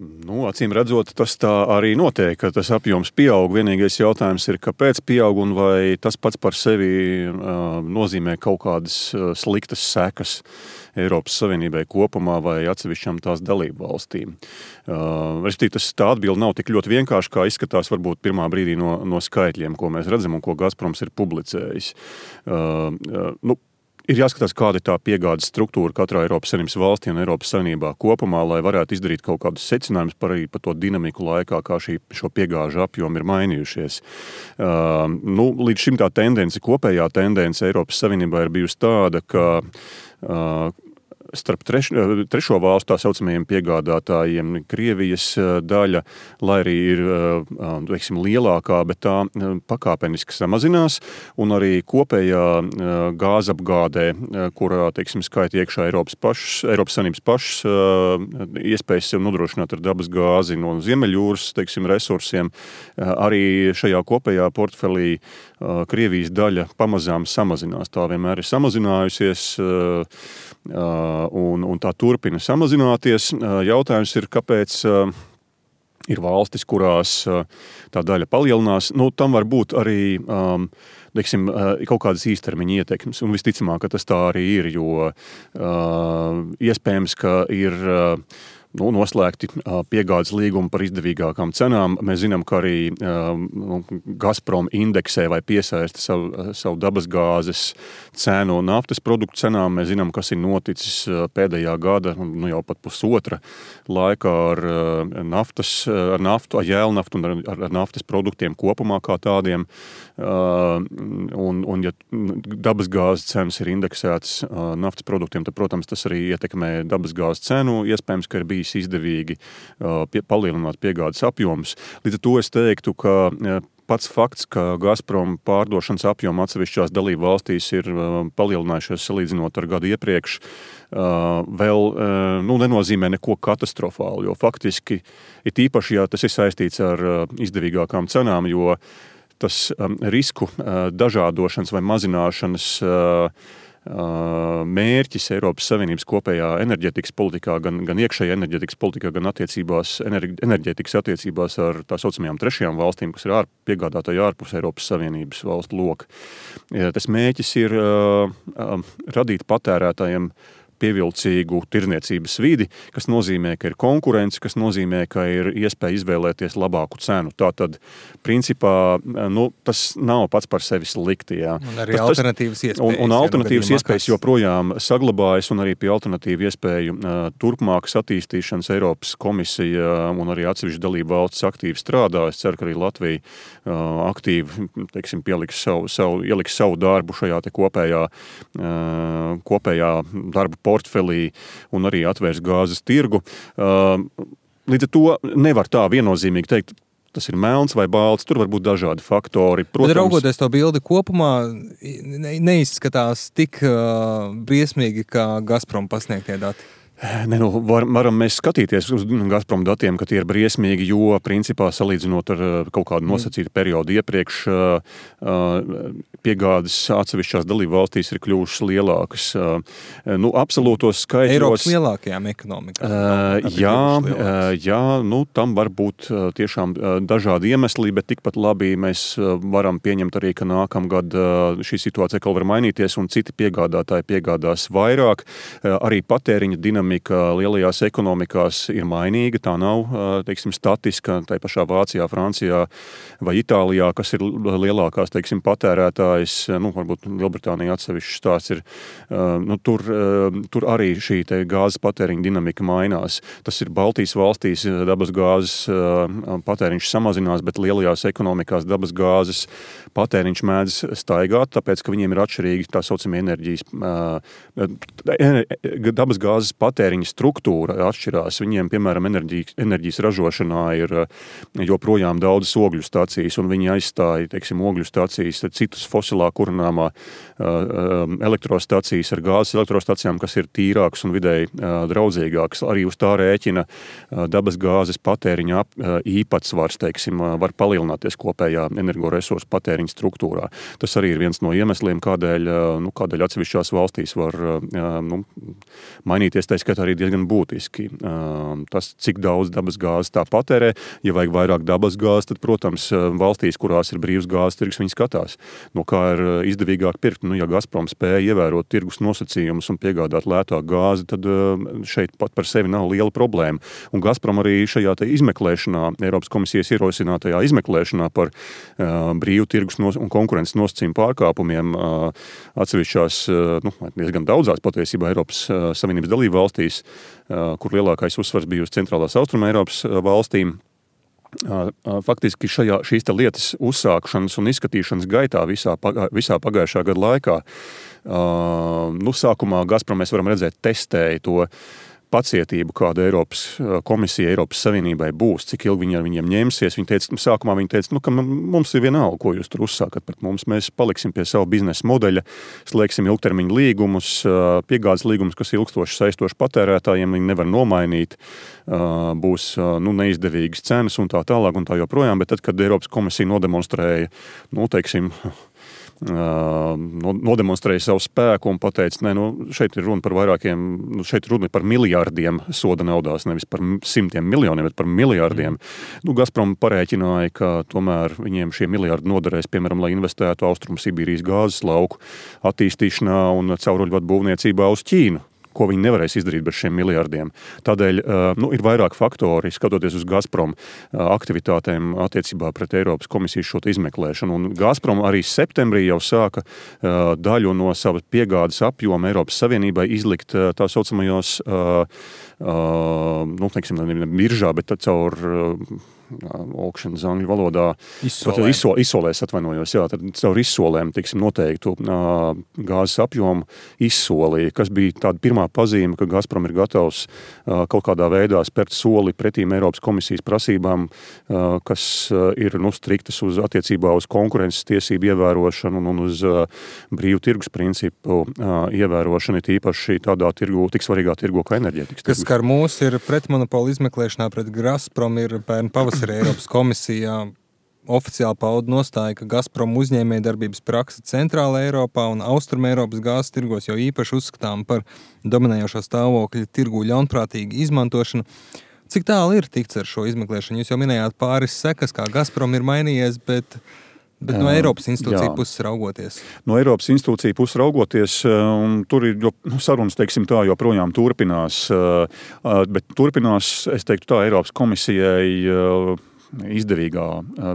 Acīm redzot, tas tā arī notiek, ka tas apjoms pieaug. Vienīgais jautājums ir, kāpēc pieaug un vai tas pats par sevi nozīmē kaut kādas sliktas sekas Eiropas Savienībai kopumā vai atsevišķām tās dalību valstīm. Respektīvi, tā atbilde nav tik ļoti vienkārši, kā izskatās varbūt pirmā brīdī no skaitļiem, ko mēs redzam un ko Gazproms ir publicējis. Ir jāskatās, kāda ir tā piegādes struktūra katrā Eiropas Savienības valstī un Eiropas Savienībā kopumā, lai varētu izdarīt kaut kādus secinājumus par to dinamiku laikā, kā šo piegāžu apjomu ir mainījušies. Līdz šim tā kopējā tendence Eiropas Savienībā ir bijusi tāda, ka starp trešo valstu tā saucamajiem piegādātājiem Krievijas daļa, lai arī ir lielākā, bet tā pakāpeniski samazinās, un arī kopējā gāzapgādē, kurā skaita iekšā Eiropas Savienības pašas iespējas sev nodrošināt ar dabas gāzi no Ziemeļjūras resursiem, arī šajā kopējā portfelī Krievijas daļa pamazām samazinās. Tā vienmēr ir samazinājusies, un tā turpina samazināties. Jautājums ir, kāpēc ir valstis, kurās tā daļa palielinās. Tam var būt arī kaut kādas īstermiņa ietekmes, un visticamāk, ka tas tā arī ir, jo iespējams, ka ir noslēgti piegādes līgumi par izdevīgākām cenām. Mēs zinām, ka arī Gazprom indeksē vai piesaista savu dabasgāzes cenu naftas produktu cenām. Mēs zinām, kas ir noticis pēdējā gada, jau pat pusotra laikā ar naftu, ar jēlnaftu un ar naftas produktiem kopumā kā tādiem. Un ja dabasgāzes cenas ir indeksētas naftas produktiem, tad, protams, tas arī ietekmē dabasgāzes cenu. Iespējams, ka ir bijis izdevīgi palielināt piegādes apjomus. Līdz ar to es teiktu, ka pats fakts, ka Gazprom pārdošanas apjoma atsevišķās dalību valstīs ir palielinājušies salīdzinot ar gadu iepriekš, vēl nenozīmē neko katastrofālu, jo faktiski ir īpaši, ja tas ir saistīts ar izdevīgākām cenām, jo tas risku dažādošanas vai mazināšanas mērķis Eiropas Savienības kopējā enerģētikas politikā, gan iekšējā enerģētikas politikā, gan enerģētikas attiecībās ar tā saucamajām trešajām valstīm, kas ir piegādātāji ārpus Eiropas Savienības valstu loka. Tas mērķis ir radīt patērētājiem pievilcīgu tirdzniecības vidi, kas nozīmē, ka ir konkurence, kas nozīmē, ka ir iespēja izvēlēties labāku cenu. Tātad, principā, tas nav pats par sevi slikti. Jā. Un arī alternatīvas iespējas. Un alternatīvas iespējas joprojām saglabājas, un arī pie alternatīvu iespēju turpmākas attīstīšanas Eiropas komisija un arī atsevišķi dalību valsts aktīvi strādā. Es ceru, ka arī Latvija aktīvi, ieliks savu darbu šajā te kopējā darbu portfelī un arī atvērs gāzes tirgu. Līdz ar to nevar tā viennozīmīgi teikt, tas ir melns vai balts, tur var būt dažādi faktori. Protams, bet raugoties to bildi kopumā, neizskatās tik briesmīgi, kā Gazprom pasniegtie dati. Varam mēs skatīties uz Gazprom datiem, ka tie ir briesmīgi, jo principā salīdzinot ar kaut kādu nosacītu periodu iepriekš piegādes atsevišķās dalību valstīs ir kļuvušas lielākas. Absolūtos skaitļos. Eiropas lielākajām ekonomikām. Jā, tam var būt tiešām dažādi iemesli, bet tikpat labi mēs varam pieņemt arī, ka nākamgad šī situācija vēl var mainīties un citi piegādātāji piegādās vairāk. Arī patēriņa dinamika lielajās ekonomikās ir mainīga, tā nav, statiska, tā pašā Vācijā, Francijā vai Itālijā, kas ir lielākās, patērētājs, varbūt Lielbritānija atsevišķi stāsts ir, tur arī šī te gāzes patēriņa dinamika mainās. Tas ir Baltijas valstīs, dabas gāzes patēriņš samazinās, bet lielajās ekonomikās dabas gāzes patēriņš mēdz staigāt, tāpēc, ka viņiem ir atšķirīgi tā saucamie dabas gāzes patēriņa struktūra atšķirās. Viņiem, piemēram, enerģijas ražošanā ir joprojām daudz ogļu stacijas, un viņi aizstāja, ogļu stacijas, citus fosilā kurināmā elektrostacijas ar gāzes elektrostacijām, kas ir tīrākas un vidēji draudzīgākas. Arī uz tā rēķina dabas gāzes patēriņa īpatsvars, var palielināties kopējā energoresursu patēriņa struktūrā. Tas arī ir viens no iemesliem, kādēļ atsevišķās valstīs var mainīties tā skaitā arī diezgan būtiski. Tas, cik daudz dabas gāzes tā patērē, ja vajag vairāk dabas gāzes, tad, protams, valstīs, kurās ir brīvs gāzes tirgus, viņi skatās, no kā ir izdevīgāk pirkt. Ja Gazprom spēja ievērot tirgus nosacījumus un piegādāt lētāku gāzi, tad šeit pat par sevi nav liela problēma. Un Gazprom arī šajā izmeklēšanā, Eiropas komisijas ierosinātajā izmeklēšanā par brīvu tirgus un konkurences nosacījumu pārkāpumiem atsevišķās, diezgan daudzās patiesībā Eiropas Savienības dalību valstīs, kur lielākais uzsvars bija uz centrālās Austruma Eiropas valstīm. Faktiski šīs lietas uzsākšanas un izskatīšanas gaitā visā pagājušā gada laikā, sākumā Gazprom mēs varam redzēt testēja to pacietību, kāda Eiropas komisija, Eiropas Savienībai būs, cik ilgi viņi ar viņiem ņemsies. Sākumā viņi teica, ka mums ir vienalga, ko jūs tur uzsākat pret mums. Mēs paliksim pie savu biznesa modeļa, slēgsim ilgtermiņa līgumus, piegādes līgumus, kas ilgstoši saistoši patērētājiem, viņi nevar nomainīt, būs neizdevīgas cenas un tā tālāk un tā joprojām. Bet tad, kad Eiropas komisija nodemonstrēja, nodemonstrēja savu spēku un pateica, šeit ir runa par šeit ir runa par miljārdiem soda naudās, nevis par simtiem miljoniem, bet par miljārdiem. Gazprom parēķināja, ka tomēr viņiem šie miljārdi noderēs, piemēram, lai investētu Austrumsibīrijas gāzes lauku attīstīšanā un cauruļvadu būvniecībā uz Ķīnu, ko viņi nevarēs izdarīt bez šiem miljardiem. Tādēļ ir vairāk faktori, skatoties uz Gazprom aktivitātēm attiecībā pret Eiropas komisijas šo izmeklēšanu. Un Gazprom arī septembrī jau sāka daļu no savas piegādes apjoma Eiropas Savienībai izlikt tā saucamajos, biržā, bet caur auctions angļu valodā. Izsolēs atvainojos, jā, tad caur izsolēm, noteiktu gāzes apjomu izsolī, kas bija tāda pirmā pazīme, ka Gazprom ir gatavs kaut kādā veidā spērt soli pretīm Eiropas komisijas prasībām, kas ir striktas uz attiecībā uz konkurences tiesību ievērošanu un uz brīvu tirgus principu ievērošanu, tīpaši tādā tik svarīgā tirgo kā enerģētikas. Kas skar mūs ir pretmonopola izmeklēšanā pret Gazprom ir pērn pavasarī Eiropas komisijā oficiāli pauda nostāja, ka Gazprom uzņēmējdarbības praksa Centrāla Eiropā un Austruma Eiropas gāzes tirgos jau īpaši uzskatām par dominējošo stāvokļa tirgu ļaunprātīgu izmantošanu. Cik tālu ir tikts ar šo izmeklēšanu? Jūs jau minējāt pāris sekas, kā Gazprom ir mainījies, bet no Eiropas institūcija puses raugoties. No Eiropas institūcija puses raugoties, un tur ir sarunas, joprojām turpinās, bet turpinās, es teiktu tā, Eiropas komisijai izdevīgā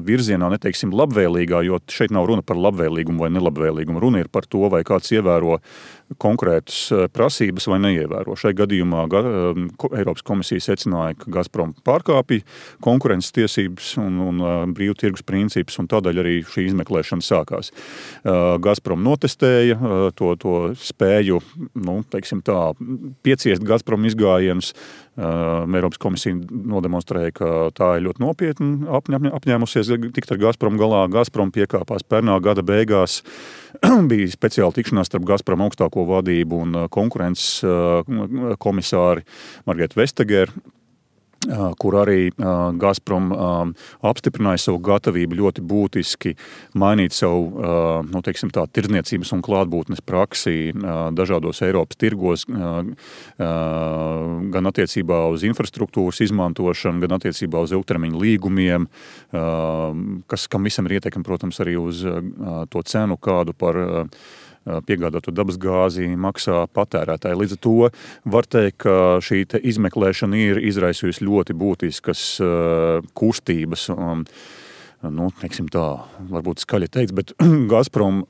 virzienā, neteiksim labvēlīgā, jo šeit nav runa par labvēlīgumu vai nelabvēlīgumu. Runa ir par to, vai kāds ievēro konkrētas prasības vai neievēro. Šai gadījumā Eiropas komisija secināja, ka Gazprom pārkāpja konkurences tiesības un brīvu tirgus principus, un tādēļ arī šī izmeklēšana sākās. Gazprom notestēja to spēju, pieciest Gazprom izgājienus. Eiropas komisija nodemonstrēja, ka tā ir ļoti nopietni apņēmusies tikt ar Gazprom galā. Gazprom piekāpās pērnā gada beigās. Bija speciāla tikšanās starp Gazprom augstāko vadību un konkurences komisāri Margretu Vestageru, kur arī Gazprom apstiprināja savu gatavību ļoti būtiski mainīt savu, tirdzniecības un klātbūtnes praksi dažādos Eiropas tirgos, gan attiecībā uz infrastruktūras izmantošanu, gan attiecībā uz ilgtermiņa līgumiem, kam visam ir ietekme, protams, arī uz to cenu, kādu par piegādāto dabas gāzi maksā patērētāji. Līdz ar to var teikt, ka šī izmeklēšana ir izraisījusi ļoti būtiskas kustības. Varbūt skaļi teikts, bet Gazprom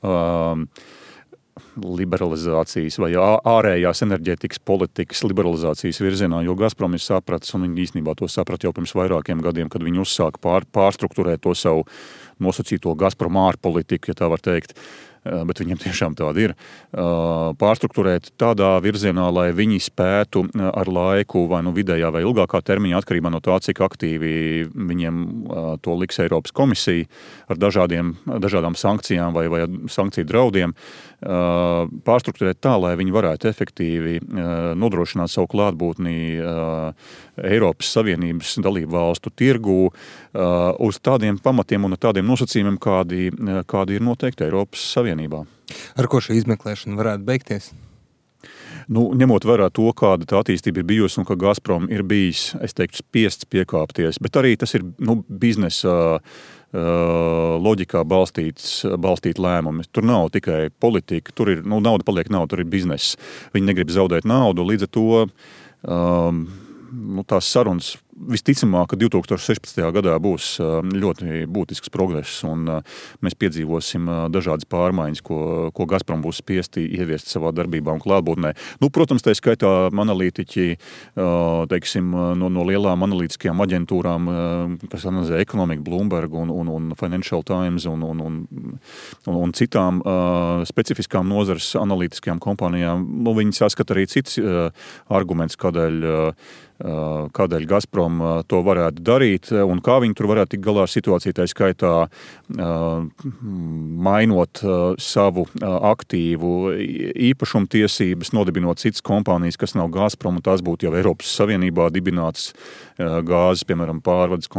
liberalizācijas vai ārējās enerģētikas politikas liberalizācijas virzienā, jo Gazprom ir sapratis, un viņi īstenībā to saprat jau pirms vairākiem gadiem, kad viņi uzsāka pārstrukturēt to savu nosacīto Gazprom ārpolitiku, ja tā var teikt, bet viņiem tiešām tāda ir, pārstrukturēt tādā virzienā, lai viņi spētu ar laiku vai vidējā vai ilgākā termiņā, atkarībā no tā, cik aktīvi viņiem to liks Eiropas komisija ar dažādām sankcijām vai sankciju draudiem, pārstrukturēt tā, lai viņi varētu efektīvi nodrošināt savu klātbūtni Eiropas Savienības dalību valstu tirgū uz tādiem pamatiem un tādiem nosacījumiem, kādi ir noteikti Eiropas Savienībā. Ar ko šī izmeklēšana varētu beigties? Ņemot vērā to, kāda tā attīstība ir bijusi un ka Gazprom ir bijis, es teiktu, spiests piekāpties, bet arī tas ir biznesa loģikā balstīt lēmumi. Tur nav tikai politika, tur ir, nauda paliek nauda, tur ir bizness. Viņi negrib zaudēt naudu, līdz ar to tās sarunas visticamāk, ka 2016. gadā būs ļoti būtisks progress un mēs piedzīvosim dažādas pārmaiņas, ko Gazprom būs spiesti ieviest savā darbībā un klātbūtnē. Protams, tā skaitā analītiķi, teiksim, no lielām analītiskajām aģentūrām, kas analizē ekonomiku, Bloomberg un Financial Times un citām specifiskām nozares analītiskajām kompānijām, viņi saskata arī cits arguments, kādēļ Gazprom to varētu darīt un kā viņi tur varētu tikt galā ar situāciju, tā skaitā mainot savu aktīvu īpašumtiesības, nodibinot citas kompānijas, kas nav Gazprom, un tās būtu jau Eiropas Savienībā dibināts gāzes, piemēram, pārvades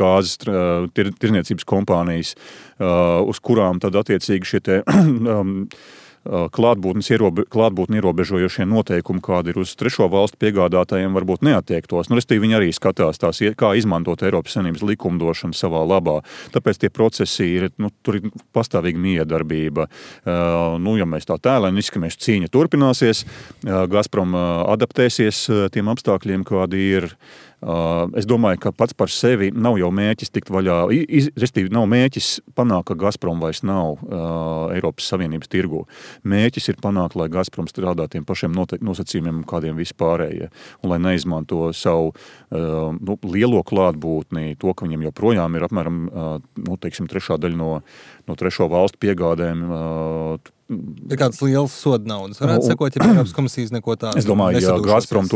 gāzes tirniecības kompānijas, uz kurām tad attiecīgi šie te klātbūtni ierobežojošie noteikumi, kādi ir uz trešo valstu piegādātājiem, varbūt neattiektos. Respektīvi, viņi arī skatās kā izmantot Eiropas Savienības likumdošanu savā labā. Tāpēc tie procesi ir, tur ir pastāvīga miedarbība. Ja mēs tā tēlēni izskamies, cīņa turpināsies, Gazprom adaptēsies tiem apstākļiem, kādi ir. Es domāju, ka pats par sevi nav jau mēķis tikt vaļā, respektīvi nav mēķis panākt, ka Gazprom vairs nav Eiropas Savienības tirgu. Mēķis ir panākt, lai Gazprom strādā tiem pašiem nosacījumiem, kādiem vispārējie, un lai neizmanto savu lielo klātbūtni, to, ka viņiem joprojām ir apmēram, trešā daļa no trešo valstu piegādēm. Ir kādas lielas soda naudas. Varētu sakot, ja Eiropas komisijas neko tādu. Es domāju, ja Gazprom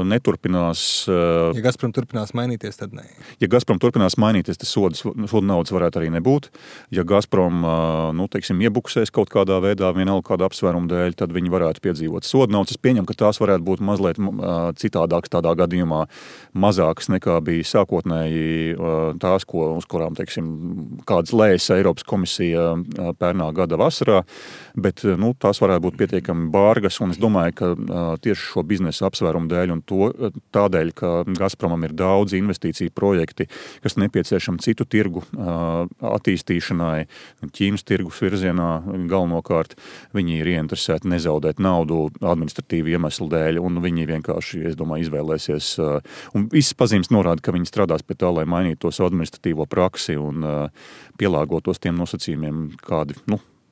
neturpinās... Ja Gazprom turpinās mainīties, tad nē. Ja Gazprom turpinās mainīties, tad soda naudas varētu arī nebūt. Ja Gazprom, iebuksēs kaut kādā veidā, vienalga kāda apsvēruma dēļ, tad viņi varētu piedzīvot soda naudas. Es pieņemu, ka tās varētu būt mazliet citādākas tādā gadījumā, mazākas nekā bija sākotnēji tās, uz kurām, kādas lēsa Eiropas komisija pērnā gada vasarā, bet tās varētu būt pietiekami bārgas, un es domāju, ka tieši šo biznesa apsvērumu dēļ un tādēļ, ka Gazpromam ir daudz investīciju projekti, kas nepieciešami citu tirgu attīstīšanai, Ķīnas tirgus virzienā galvenokārt, viņi ir ieinteresēti nezaudēt naudu administratīvu iemeslu dēļ, un viņi vienkārši, es domāju, izvēlēsies, un visas pazīmes norāda, ka viņi strādās pie tā, lai mainītu to savu administratīvo praksi un pielāgotos tiem nosacījumiem, kādi,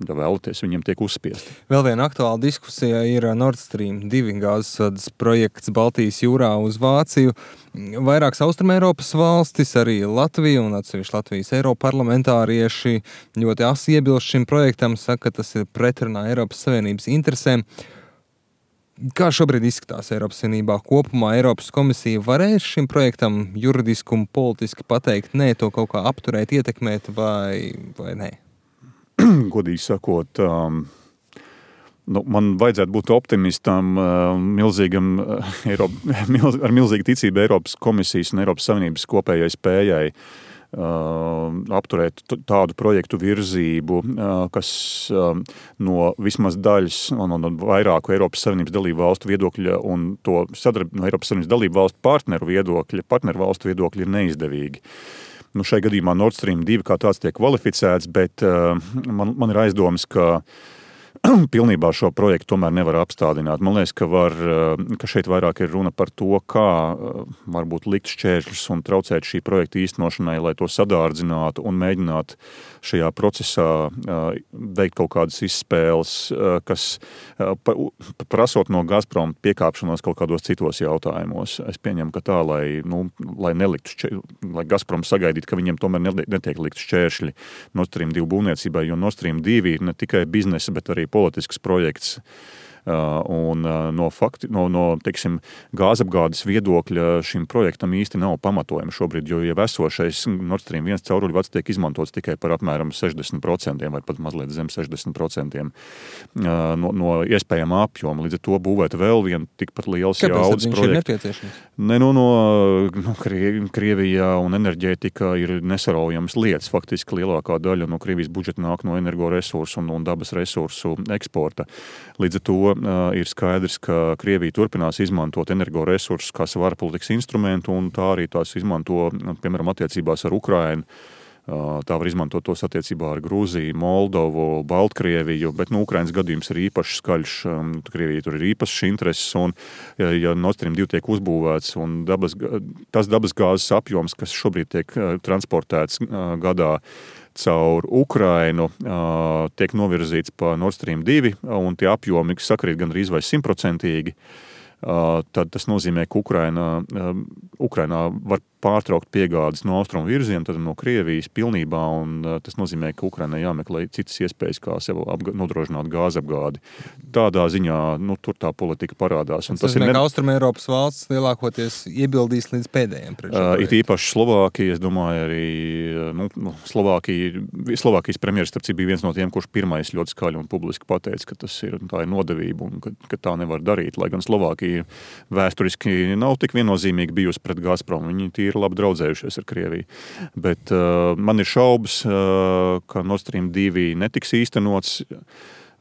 ja vēlaties, viņiem tiek uzspiesti. Vēl viena aktuāla diskusija ir Nord Stream 2 gāzesvadas projekts Baltijas jūrā uz Vāciju. Vairākas Austrumeiropas valstis, arī Latvija un atsevišķi Latvijas eiroparlamentārieši ļoti asi iebilst šim projektam, saka, ka tas ir pretrunā Eiropas Savienības interesēm. Kā šobrīd izskatās Eiropas Savienībā kopumā? Eiropas komisija varēs šim projektam juridiski un politiski pateikt, nē, to kaut kā apturēt, ietekmēt vai nē? Godīgi sakot, man vajadzētu būt optimistam, ar milzīgu ticību Eiropas komisijas un Eiropas Savienības kopējai spējai apturēt tādu projektu virzību, kas no vismaz daļas un vairāku Eiropas Savienības dalību valstu viedokļa un to no Eiropas Savienības dalību valstu partneru valstu viedokļa ir neizdevīgi. Šai gadījumā Nord Stream 2 kā tāds tiek kvalificēts, bet man ir aizdomas, ka pilnībā šo projektu tomēr nevar apstādināt. Man liekas, ka šeit vairāk ir runa par to, kā varbūt likt šķēršļus un traucēt šī projekta īstenošanai, lai to sadārdzinātu un mēģināt šajā procesā veikt kaut kādas izspēles, kas prasot no Gazprom piekāpšanos kaut kādos citos jautājumos. Es pieņemu, ka tā, lai Gazprom sagaidītu, ka viņiem tomēr netiek likt šķēršļi Nord Stream 2 būvniecībai, jo Nord Stream 2 ir ne tikai biznesa, bet arī politisks projekts, Un no teiksim, gāzapgādes viedokļa šim projektam īsti nav pamatojumi šobrīd, jo jau esošais Nord Stream 1 cauruļvads tiek izmantots tikai par apmēram 60% vai pat mazliet zem 60% no iespējamā apjoma. Līdz ar to būvēt vēl vienu tikpat liels jaudas projekts. Krievijā un enerģētika ir nesaraujams lietas. Faktiski lielākā daļa no Krievijas budžeta nāk no energoresursu un dabas resursu eksporta. Līdz ar to ir skaidrs, ka Krievija turpinās izmantot energoresursus kā savu ārpolitikas instrumentu, un tā arī tās izmanto, piemēram, attiecībās ar Ukrainu. Tā var izmantot tos attiecībā ar Grūziju, Moldovu, Baltkrieviju, bet Ukrainas gadījums ir īpaši skaļš. Krievija tur ir īpašs intereses, un ja Nord Stream 2 tiek uzbūvēts, un tas dabasgāzes apjoms, kas šobrīd tiek transportēts gadā caur Ukrainu, tiek novirzīts pa Nord Stream 2, un tie apjomi sakrīt gandrīz vai 100%, tad tas nozīmē, ka Ukrainā var pārtraukt piegādes no austrumu virziena, tad no Krievijas pilnībā, un tas nozīmē, ka Ukrainai jāmeklē citas iespējas, kā sev nodrošināt gāzapgādi. Tādā ziņā, tur tā politika parādās. Un tas nozīmē, ka Austrum Eiropas valsts lielākoties iebildīs līdz pēdējiem pret šo projektu. It īpaši Slovākija, es domāju, arī Slovākijas premjeras starp citu bija viens no tiem, kurš pirmais ļoti skaļi un publiski pateica, ka tā ir nodevība un ka tā nevar darīt, lai gan Slovākija vēsturiski nav tik viennozīmīgi bijusi pret Gazprom. Viņi ir labi draudzējušies ar Krieviju. Bet man ir šaubas, ka Nord Stream 2 netiks īstenots.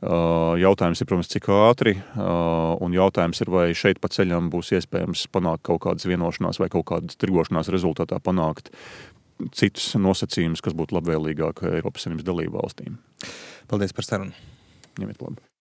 Jautājums ir, protams, cik ātri, un jautājums ir, vai šeit pa ceļam būs iespējams panākt kaut kādas vienošanās vai kaut kādas tirgošanās rezultātā panākt citus nosacījumus, kas būtu labvēlīgāk Eiropas Savienības dalību valstīm. Paldies par sarunu. Ņemiet labi.